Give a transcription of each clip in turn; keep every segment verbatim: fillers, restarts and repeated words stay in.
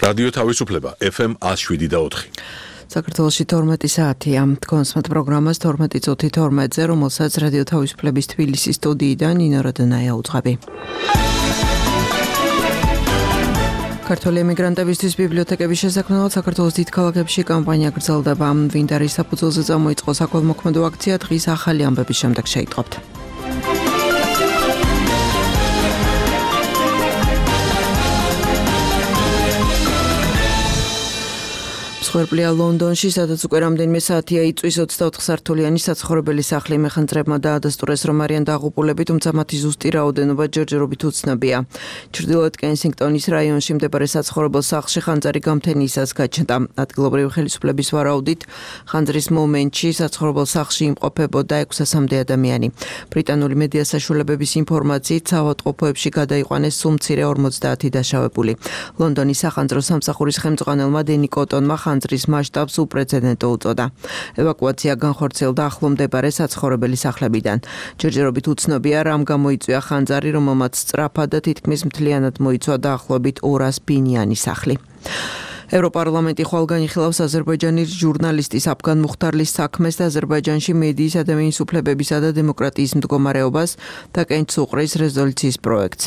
რადიო თავისუფლება ეფ ემ one oh seven და four. საქართველოში თორმეტი საათია. კონსმეთ პროგრამას თორმეტი წუთი თორმეტზე, რომელსაც რადიო თავისუფლების თბილისის სტუდიიდან ნინო როდონაია უძღვები. ქართველი ემიგრანტებისთვის ბიბლიოთეკების შესაქმნელად საქართველოს დიდ ქალაქებში კამპანია გრძელდება. ვინდარის საფუძველზე წამოიწყო საქველმოქმედო აქცია დღის ახალი ამბების შემდეგ შეიტყობთ. მსხვერპლია ლონდონში, სადაც უკვე რამდენიმე საათია იწვის ოცდაოთხ სართულიანი საცხოვრებელი სახლი. მეხანძრებმა დაადასტურეს, რომ არიან დაღუპულები, თუმცა მათი ზუსტი რაოდენობა ჯერჯერობით უცნობია. ჩრდილოეთ კენსინგტონის რაიონში მდებარე საცხოვრებელ სახლში ხანძარი გამთენიისას გაჩნდა. ადგილობრივი ხელისუფლების ვარაუდით, ხანძრის მომენტში საცხოვრებელ სახლში იმყოფებოდა ექვსასამდე ადამიანი. ბრიტანული მედია საშუალებების ინფორმაციით, საავადმყოფოებში გადაიყვანეს სულ მცირე ორმოცდაათი დაშავებული. ლონდონის სახანძრო სამსახურის ხელმძღვანელმა დენი კოტონმა ხანძრის მასშტაბს უპრეცედენტო უწოდა. ევაკუაცია განხორციელდა ახლო მდებარე საცხოვრებელი სახლებიდან. ჯერჯერობით უცნობია, რამ გამოიწვია ხანძარი, რომელმაც სწრაფად და თითქმის მთლიანად მოიცვა დაახლოებით ორას ბინიანი სახლი. ევროპარლამენტი ხვალ განიხილავს აზერბაიჯანის ჟურნალისტის აფგან მუხთარლის საქმეს და აზერბაიჯანში მედიის ადამიანის უფლებებისა და დემოკრატიის მდგომარეობას და კენჭს უყრის რეზოლუციის პროექტს.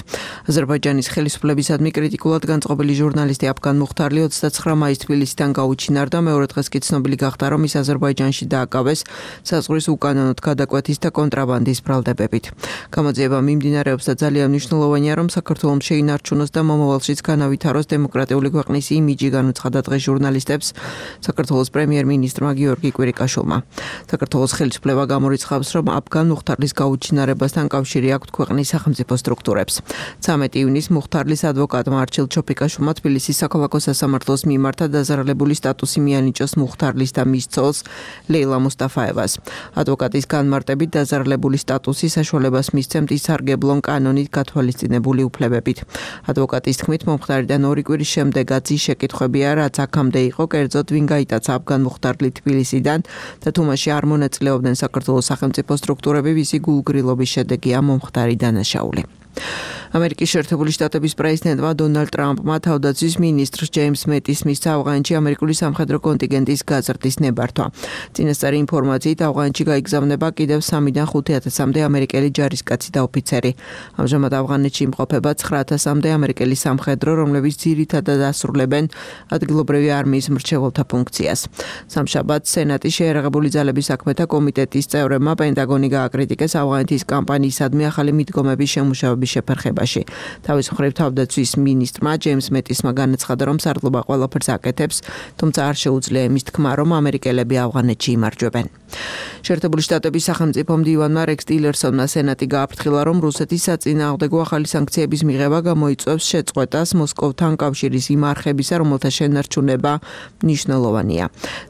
აზერბაიჯანის ხელისუფლებისადმი კრიტიკულად განწყობილი ჟურნალისტი აფგან მუხთარლი ოცდაცხრა მაისს თბილისიდან გაუჩინარდა. მეორე დღეს კი ცნობილი გახდა, რომ ის აზერბაიჯანში დააკავეს საზღვრის უკანონოდ გადაკვეთის და კონტრაბანდის ბრალდებებით. გამოძიება მიმდინარეობს და ძალიან მნიშვნელოვანია, რომ საქართველოს შეინარჩუნოს და მომავალშიც განავითაროს დემოკრატიული ქვეყნის იმიჯი, ცხადა დღეს ჟურნალისტებს საქართველოს პრემიერ-მინისტრმა გიორგი კვირიკაშვილმა. საქართველოს ხელისუფლება გამორიცხავს, რომ აფგან მუხთარლის გაუჩინარებასთან კავშირი აქვთ ქვეყნის სახელმწიფო სტრუქტურებს. ცამეტი ივნისს მუხთარლის ადვოკატმა არჩილ ჩოფიკაშვილმა თბილისის საქალაქო სასამართლოს მიმართა დაზარალებული სტატუსი მიანიჭოს მუხთარლის და მის ცოლს ლეილა მუსტაფაევას. ადვოკატის განმარტებით დაზარალებული სტატუსი საშუალებას მისცემთ ისარგებლონ კანონით გათვალისწინებული უფლებებით. ადვოკატის თქმით, მომხდარიდან ორი კვირის შემდეგაც ის შეკითხვები რაც აქამდე იყო, კერძოდ ვინ გაიტაცა აფგან მუხთარლი თბილისიდან და თუმაში არ მონაწილეობდნენ საქართველოს სახელმწიფო სტრუქტურები, ვისი გულგრილობის შედეგია მომხდარი დანაშაული. ამერიკის შეერთებული შტატების პრეზიდენტმა დონალდ ტრამპმა თავდაცვის მინისტრ ჯეიმს მეტის მისცა ავღანეთში ამერიკული სამხედრო კონტინგენტის გაზრდის ნებართვა. წინასწარი ინფორმაციით ავღანეთში გაიგზავნება კიდევ სამიდან ხუთი ათასამდე ამერიკელი ჯარისკაცი და ოფიცერი. ამჟამად ავღანეთში იმყოფება ცხრა ათასამდე ამერიკელი სამხედრო, რომლებიც ძირითადად ასრულებენ ადგილობრივი არმიის მრჩეველთა ფუნქციას. სამშაბათს სენატის შეიარაღებული ძალების საქმეთა კომიტეტის წევრებმა პენტაგონი გააკრიტიკეს ავღანეთის კამპანიისადმი ახალი მიდგომების შემუშავების შეფერხებაში. თავის მხრივ თავდაცვის მინისტრმა ჯეიმს მეტისმა განაცხადა, რომ სარდლობა ყველაფერს აკეთებს, თუმცა არ შეუძლია იმის თქმა, რომ ამერიკელები ავღანეთში იმარჯვებენ. შეერთებული შტატების სახელმწიფო მდივანმა რექს ტილერსონმა სენატი გააფრთხილა, რომ რუსეთის საწინააღმდეგო ახალი სანქციების მიღება გამოიწვევს შეწყვეტას მოსკოვთან კავშირის იმ არხებისა, რომელთა შენარჩუნება მნიშვნელოვანია.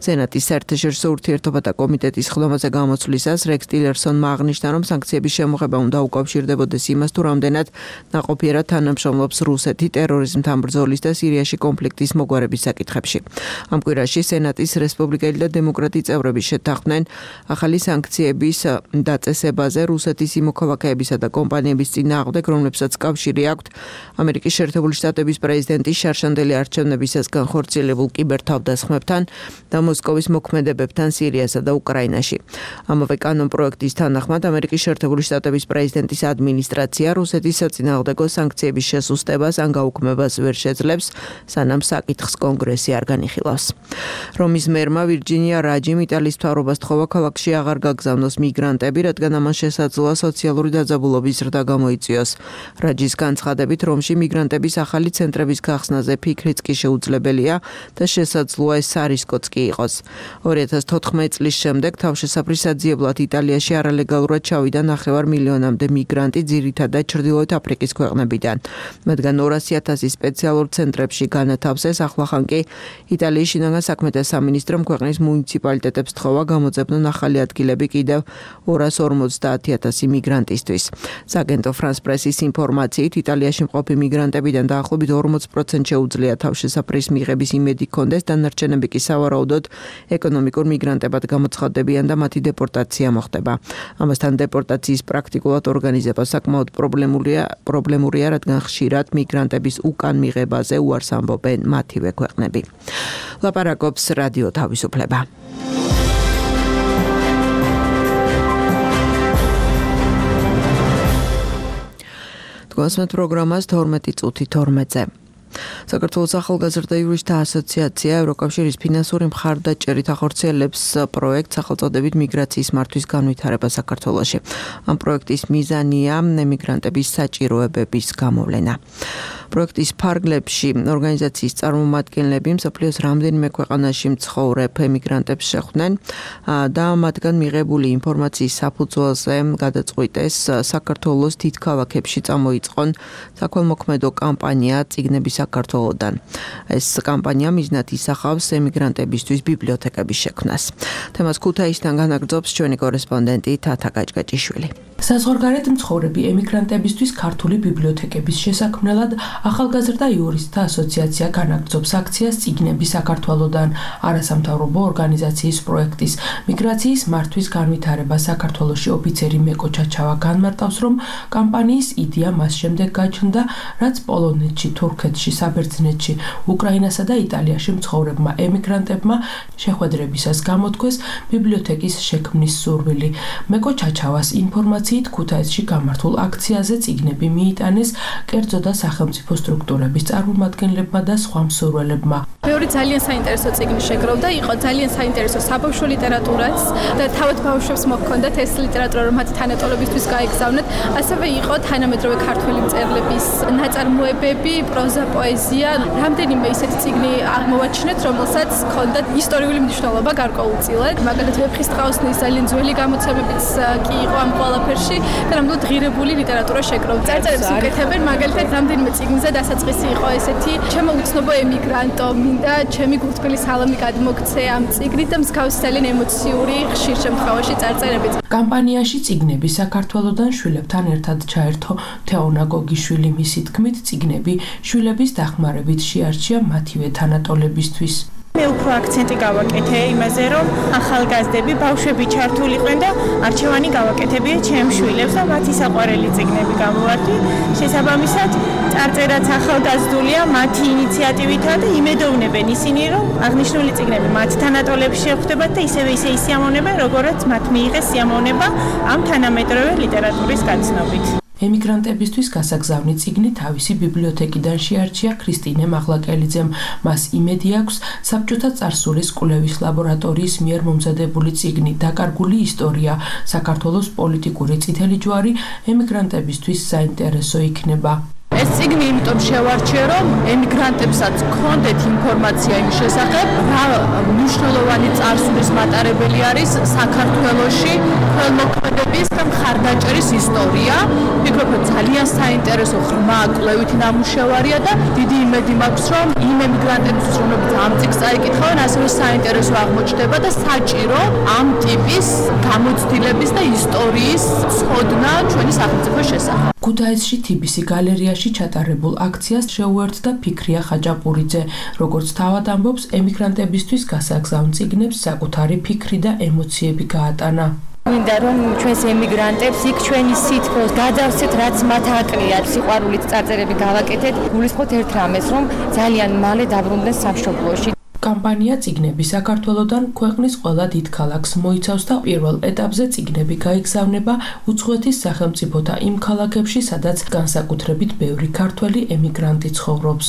სენატის საერთაშორისო ურთიერთობათა კომიტეტის ხდომაზე გამოცვლისას რექს ტილერსონმა აღნიშნა, რომ სანქციების შემოღება უნდა უკავშირდებოდეს იმას, თუ რამდენად ნაყოფიერად თანამშრომლობს რუსეთი ტერორიზმთან ბრძოლის და სირიაში კონფლიქტის მოგვარების საკითხებში. ამ კვირაში სენატის რესპუბლიკელი და დემოკრატი წევრები შეთანხმდნენ ახალი სანქციების დაწესებაზე რუსეთის იმოქალაქეებისა და კომპანიების წინააღმდეგ, რომლებსაც კავშირი აქვთ ამერიკის შეერთებული შტატების პრეზიდენტის შარშანდელი არჩევნებისას განხორციელებულ კიბერთავდასხმებთან და მოსკოვის მოქმედებებთან სირიასა და უკრაინაში. ამავე კანონპროექტის თანახმად ამერიკის შეერთებული შტატების პრეზიდენტის ადმინისტრაცია რუსეთის საწინააღმდეგო სანქციების შესუსტებას ან გაუქმებას ვერ შეძლებს, სანამ საკითხს კონგრესი არ განიხილავს. რომის მერმა ვირჯინია რაჯიმ იტალიის მთავრობას თხოვა ქალაქში აღარ გაგზავნოს მიგრანტები, რადგან ამან შესაძლოა სოციალური დაძაბულობის ზრდა გამოიწვიოს. რაჯის განცხადებით, რომში მიგრანტების ახალი ცენტრების გახსნაზე ფიქრიც კი შეუძლებელია და შესაძლოა ეს სარისკოც კი იყოს. ორი ათას თოთხმეტი წლის შემდეგ თავშესაფრის საძიებლად იტალიაში არალეგალურად ჩავიდა ნახევარ მილიონამდე მიგრანტი, ძირითადად ჩრდილოეთ აფრიკის ქვეყნებიდან. მათგან ორასი ათასი სპეციალურ ცენტრებში განათავსეს, ახლახან კი იტალიის შინაგან საქმეთა სამინისტრომ ქვეყნის მუნიციპალიტეტებს თხოვა გამოძებნონ ახალი ადგილები კიდევ ორას ორმოცდაათი ათასი მიგრანტისთვის. სააგენტო ფრანს პრესის ინფორმაციით, იტალიაში მყოფი მიგრანტებიდან დაახლოებით ორმოც პროცენტს შეუძლია თავშესაფრის მიღების იმედი ჰქონდეს, დანარჩენები კი სავარაუდოდ ეკონომიკურ მიგრანტებად გამოცხადდებიან და მათი დეპორტაცია მოხდება. ამასთან დეპორტაციის პრაქტიკულად ორგანიზება საკმაოდ პრობლემატურია პრობლემურია, პრობლემურია, რადგან ხშირად მიგრანტების უკან მიღებაზე უარს ამბობენ მათივე ქვეყნები. ლაპარაკობს რადიო თავისუფლება. გასმეთ პროგრამას თორმეტი წუთი თორმეტზე. საქართველოს ახალგაზრდა იურისტთა ასოციაცია ევროკავშირის ფინანსური მხარდაჭერით ახორციელებს პროექტს სახელწოდებით მიგრაციის მართვის განვითარება საქართველოში. ამ პროექტის მიზანია ემიგრანტების საჭიროებების გამოვლენა. პროექტის ფარგლებში ორგანიზაციის წარმომადგენლები მსოფლიოს რამდენიმე ქვეყანაში მცხოვრებ ემიგრანტებს შეხვდნენ და მათგან მიღებული ინფორმაციის საფუძველზე გადაწყვიტეს საქართველოს დიდ ქალაქებში წამოიწყონ საქველმოქმედო კამპანია წიგნები საქართველოდან. ეს კამპანია მიზნად ისახავს ემიგრანტებისთვის ბიბლიოთეკების შექმნას. თემას ქუთაისიდან განაგრძობს ჩვენი კორესპონდენტი თათა გაჭგაჭიშვილი. საზღვარგარეთ მცხოვრები ემიგრანტებისთვის ქართული ბიბლიოთეკების შესაქმნელად ახალგაზრდა იურისტთა ასოციაცია განაგრძობს აქციას წიგნები საქართველოდან. არასამთავრობო ორგანიზაციის პროექტის მიგრაციის მართვის განვითარება საქართველოში ოფიცერი მეკო ჩაჩავა განმარტავს, რომ კამპანიის იდეა მას შემდეგ გაჩნდა, რაც პოლონეთში, თურქეთში, საბერძნეთში, უკრაინასა და იტალიაში მცხოვრებმა ემიგრანტებმა შეხვედრებისას გამოთქვეს ბიბლიოთეკის შექმნის სურვილი. მეკო ჩაჩავას ინფორმაციით ქუთაისში გამართულ აქციაზე წიგნები მიიტანეს კერძო და სახელმწიფო სტრუქტურების წარმომადგენლებმა და სხვა მსურველებმა. მეორე ძალიან საინტერესო წიგნი შეგროვდა, იყო ძალიან საინტერესო საბავშვო ლიტერატურაც და თავად ბავშვებს მოჰქონდათ ეს ლიტერატურა, რომ მათი თანატოლებისთვის გაეგზავნათ. ასევე იყო თანამედროვე ქართველი მწერლების ნაწარმოებები, პროზა, პოეზია. რამდენიმე ისეთი წიგნი აღმოვაჩინეთ, რომელსაც ჰქონდათ ისტორიული მნიშვნელობა გარკვეულწილად. მაგალითად, ვეფხისტყაოსნის ძალიან ძველი გამოცემებიც კი იყო ამ ყველაფერში და ნამდვილად ღირებული ლიტერატურა შეგროვდა. წარწერებს უკეთებენ, მაგალითად, რამდენიმე წიგნზე დასაწყისი იყო ესეთი: ჩემო უცნობო ემიგრანტო, მინდა ჩემი გულთბილი სალამი გადმოგცე ამ წიგნით და მსგავსი ძალიან ემოციური ხშირ შემთხვევაში წარწერებიც. კამპანიაში წიგნები საქართველოდან შვილებთან ერთად ჩაერთო თეონა გოგიშვილი. მისი თქმით, წიგნები შვილების დახმარებით შეარჩია მათივე თანატოლებისთვის. მე უფრო აქცენტი გავაკეთე იმაზე, რომ ახალგაზრდები, ბავშვები ჩართულიყვენ და არჩევანი გავაკეთებია ჩემ შვილებს და მათი საყვარელი წიგნები გამოვარდი. შესაბამისად, წარწერაც ახალგაზრდულია მათი ინიციატივითაა და იმედოვნებენ ისინი, რომ აღნიშნული წიგნები მათ თანატოლებში შეხვდებათ და ისევე ისე ისიამოვნებენ, როგორაც მათ მიიღეს სიამოვნება ამ თანამედროვე ლიტერატურის გაცნობით. ემიგრანტებისთვის გასაგზავნი წიგნი თავისი ბიბლიოთეკიდან შეარჩია ქრისტინე მაღლაკელიძემ. მას იმედი აქვს, საბჭოთა წარსულის კვლევის ლაბორატორიის მიერ მომზადებული წიგნი „დაკარგული ისტორია, საქართველოს პოლიტიკური წითელი ჯვარი“ ემიგრანტებისთვის საინტერესო იქნება. ეს წიგნი იმიტომ შევარჩიე, რომ ემიგრანტებსაც გქონდეთ ინფორმაცია იმ შესახებ, რა მნიშვნელოვანი წარსულის მატარებელი არის საქართველოში ხელმოქმედების და მხარდაჭერის ისტორია. ვფიქრობ, რომ ძალიან საინტერესო ღრმა კვლევითი ნამუშევარია და დიდი იმედი მაქვს, რომ იმ ემიგრანტებისთვის, რომლებიც ამ წიგნს წაიკითხავენ, ასევე საინტერესო აღმოჩნდება და საჭირო ამ ტიპის გამოცდილების და ისტორიის ცოდნა ჩვენი სახელმწიფოს შესახებ. ქუთაისში თიბისი გალერეაში ჩატარებულ აქციას შეუერთდა ფიქრია ხაჭაპურიძე. როგორც თავად ამბობს, ემიგრანტებისთვის გასაგზავნ წიგნებს საკუთარი ფიქრი და ემოციები გაატანა. მინდა რომ ჩვენს ემიგრანტებს იქ ჩვენი სითბოს გადავცეთ, რაც მათ აკლია, სიყვარულით წარწერები გავაკეთეთ. გულისხმობთ ერთ რამეს, რომ ძალიან მალე დაბრუნდნენ სამშობლოში. კამპანია წიგნები საქართველოდან ქვეყნის ყველა დიდ ქალაქს მოიცავს და პირველ ეტაპზე წიგნები გაიგზავნება უცხოეთის სახელმწიფოთა იმ ქალაქებში, სადაც განსაკუთრებით ბევრი ქართველი ემიგრანტი ცხოვრობს.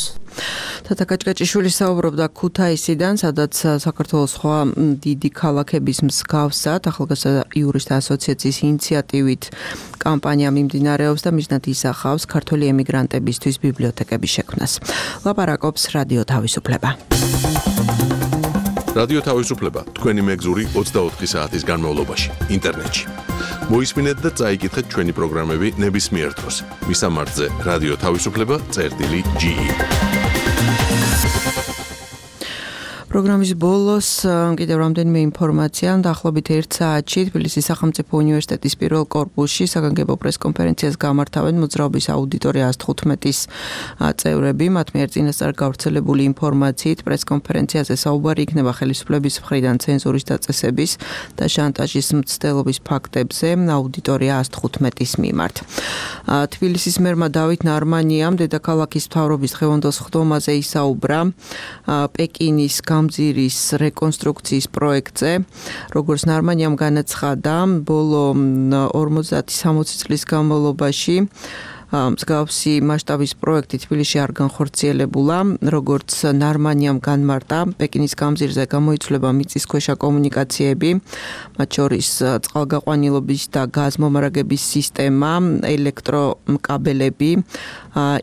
თათა გაჭგაჭიშვილი საუბრობდა ქუთაისიდან, სადაც საქართველოს სხვა დიდი ქალაქების მსგავსად ახალგაზრდა იურისტთა ასოციაციის ინიციატივით კამპანია მიმდინარეობს და მიზნად ისახავს ქართველი ემიგრანტებისთვის ბიბლიოთეკების შექმნას. ლაპარაკობს რადიო თავისუფლება. რადიო თავისუფლება თქვენი მეგზური ოცდაოთხი საათის განმავლობაში ინტერნეტში. მოისმინეთ და წაიკითხეთ ჩვენი პროგრამები ნებისმიერ დროს. მისამართზე რადიო თავისუფლება წერტილი ჯი ი. პროგრამის ბოლოს კიდევ რამდენიმე ინფორმაცია. დაახლოებით ერთ საათში თბილისის სახელმწიფო უნივერსიტეტის პირველ კორპუსში საგანგებო პრესკონფერენციას გამართავენ მოძრაობის აუდიტორია ას თხუთმეტის წევრები. მათ მიერ წინასწარ გავრცელებული ინფორმაციით პრესკონფერენციაზე საუბარი იქნება ხელისუფლების მხრიდან ცენზურის დაწესების და შანტაჟის მცდელობის ფაქტებზე აუდიტორია ას თხუთმეტის მიმართ. თბილისის მერმა დავით ნარმანიამ დედაქალაქის მთავრობის დღევანდელ სხდომაზე ისაუბრა პეკინის გამზირის რეკონსტრუქციის პროექტზე. როგორც ნარმანიამ განაცხადა, ბოლო ორმოცდაათი სამოცი წლის განმავლობაში მსგავსი მასშტაბის პროექტი თბილისში არ განხორციელებულა. როგორც ნარმანიამ განმარტა, პეკინის გამზირზე გამოიცვლება მიწისქვეშა კომუნიკაციები, მათ შორის წყალგაყვანილობის და გაზმომარაგების სისტემა, ელექტროკაბელები,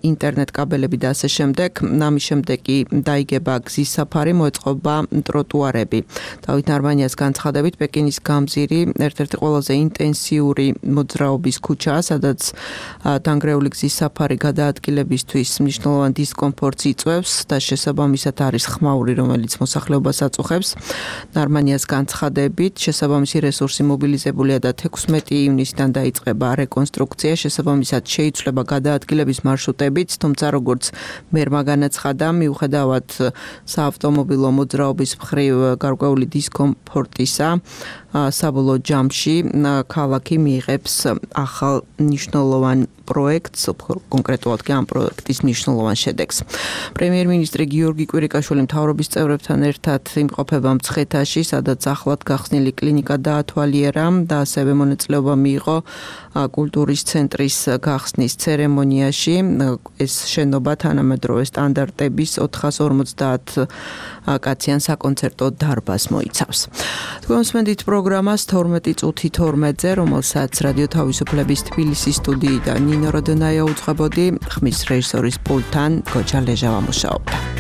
ინტერნეტ კაბელები და ასე შემდეგ. ამის შემდეგ კი დაიგება გზის საფარი, მოეწყობა ტროტუარები. დავით ნარმანიას განცხადებით, პეკინის გამზირი ერთ-ერთი ყველაზე ინტენსიური მოძრაობის ქუჩაა, სადაც დანგრეული გზის საფარი გადაადგილებისთვის მნიშვნელოვან დისკომფორტს იწვევს და შესაბამისად არის ხმაური, რომელიც მოსახლეობას აწუხებს. ნარმანიას განცხადებით, შესაბამისი რესურსი მობილიზებულია და თექვსმეტი ივნისიდან დაიწყება რეკონსტრუქცია, შესაბამისად შეიცვლება გადაადგილების მარშრუტებიც, თუმცა როგორც მერმა განაცხადა, მიუხედავად საავტომობილო მოძრაობის მხრივ გარკვეული დისკომფორტისა, საბოლოო ჯამში ქალაქი მიიღებს ახალ მნიშვნელოვან პროექტს, კონკრეტულად კი ამ პროექტის მნიშვნელოვან შედეგს. პრემიერ-მინისტრი გიორგი კვირიკაშვილი მთავრობის წევრებთან ერთად იმყოფება მცხეთაში, სადაც ახლად გახსნილი კლინიკა დაათვალიერა და ასევე მონაწილეობა მიიღო კულტურის ცენტრის გახსნის ცერემონიაში. ეს შენობა თანამედროვე სტანდარტების ოთხას ორმოცდაათ კაციან საკონცერტო დარბაზს მოიცავს. თქვენ მსმენთ პროგრამას თორმეტი წუთი თორმეტზე, რომელსაც რადიო თავისუფლების თბილისის სტუდიიდან ნინო როდონაია უძღვებოდი, ხმის რეჟისორის პულტთან გოჯა ლეჟავა მუშაობდა.